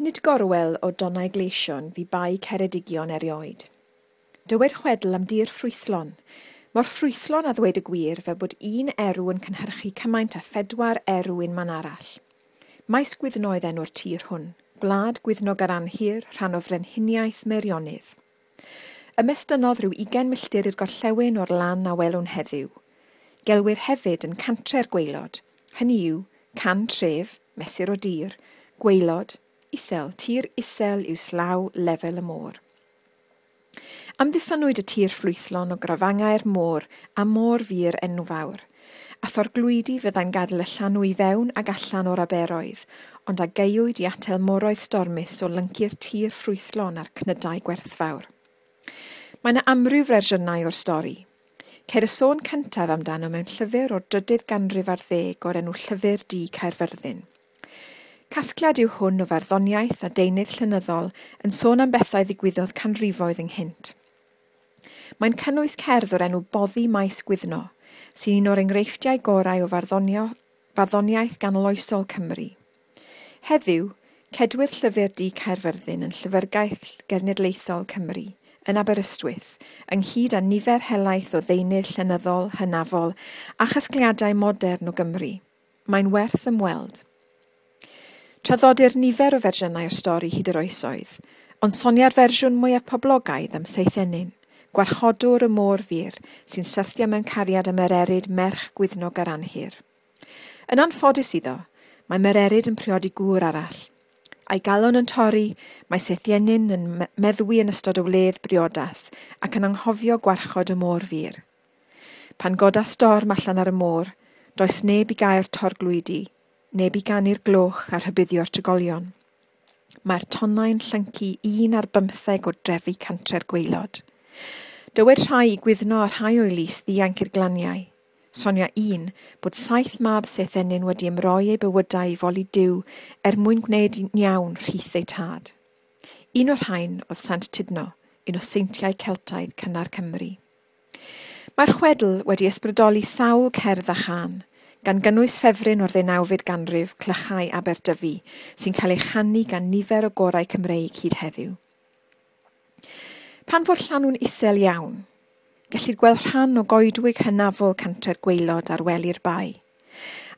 Nid gorwel o donnau gleision fu Bae Ceredigion erioed. Dywed chwedl am dir ffrwythlon, mor ffrwythlon a ddweud y gwir fel bod un erw yn cynhyrchu cymaint â phedwar erw unman arall. Maes Gwyddno oedd enw'r tir hwn, gwlad Gwyddno Garanhir, rhan o frenhiniaeth Meirionnydd. Ymestynnodd rhyw 20 milltir i'r gorllewin o'r lan a welwn heddiw. Gelwir hefyd yn Cantre'r Gwaelod, hynny yw, can tref, mesur o dir, gwaelod, isel, tir isel yw slaw lefel y môr. Amddiffynnwyd y tir ffrwythlon o grafangau'r môr a môr fur enfawr, a thorglwydi fyddai'n gadael y llanw i fewn ag allan o'r aberoedd, ond a gaewyd i atal moroedd stormus o lyncu'r tir ffrwythlon a'r cnydau gwerthfawr. Mae yna amryw fersiynau o'r stori. Ceir y sôn cyntaf amdano mewn llyfr o'r drydydd ganrif ar ddeg o'r enw Llyfr Du Caerfyrddin. Casgliad yw hwn o farddoniaeth a deunydd llenyddol yn sôn am bethau ddigwyddodd canrifoedd ynghynt. Mae'n cynnwys cerdd o'r enw Boddi Maes Gwyddno, sy'n un o'r enghreifftiau gorau o farddoniaeth ganoloesol Cymru. Heddiw, cedwir Llyfr Du Caerfyrddin yn Llyfrgell Genedlaethol Cymru, yn Aberystwyth, ynghyd â nifer helaeth o ddeunydd llenyddol, hynafol a chasgliadau modern o Gymru. Mae'n werth ymweld. Traddodir nifer o fersiynau o'r stori hyd yr oesoedd, ond sonia'r fersiwn mwyaf poblogaidd am Seithenyn, gwarchodwr y môr fur, sy'n syrthio mewn cariad â Mererid merch Gwyddno Garanhir. Yn anffodus iddo, mae Mererid yn priodi gŵr arall. A'i galon yn torri, mae Seithenyn yn meddwi yn ystod y wledd briodas ac yn anghofio gwarchod y môr fur. Pan goda storm allan ar y môr, does neb i gael torglwydi, neb i ganu'r gloch a rhybuddio'r trigolion. Mae'r tonnau'n llyncu 11 o drefi Cantre'r Gwaelod. Dywed rhai i Gwyddno a rhai o'i lys ddianc i'r glaniau. Sonia un bod 7 mab Seithenyn wedi ymroi eu bywydau i foli Duw er mwyn gwneud iawn rhith eu tad. Un o'r rhain oedd Sant Tudno, un o seintiau Celtaidd cynnar Cymru. Mae'r chwedl wedi ysbrydoli sawl cerdd a chân, gan gynnwys ffefryn o'r ddeunawfed ganrif, Clychau Aberdyfi, sy'n cael ei chanu gan nifer o gorau Cymreig hyd heddiw. Pan fo'r llanw'n isel iawn, gellir gweld rhan o goedwig hynafol Cantre'r Gwaelod ar wely'r bae,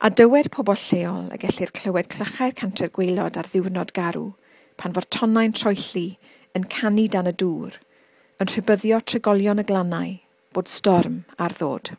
a dywed pobl lleol y gellir clywed clychau'r Cantre'r Gwaelod ar ddiwrnod garw, pan fo'r tonnau'n troelli, yn canu dan y dŵr, yn rhybuddio trigolion y glannau bod storm ar ddod.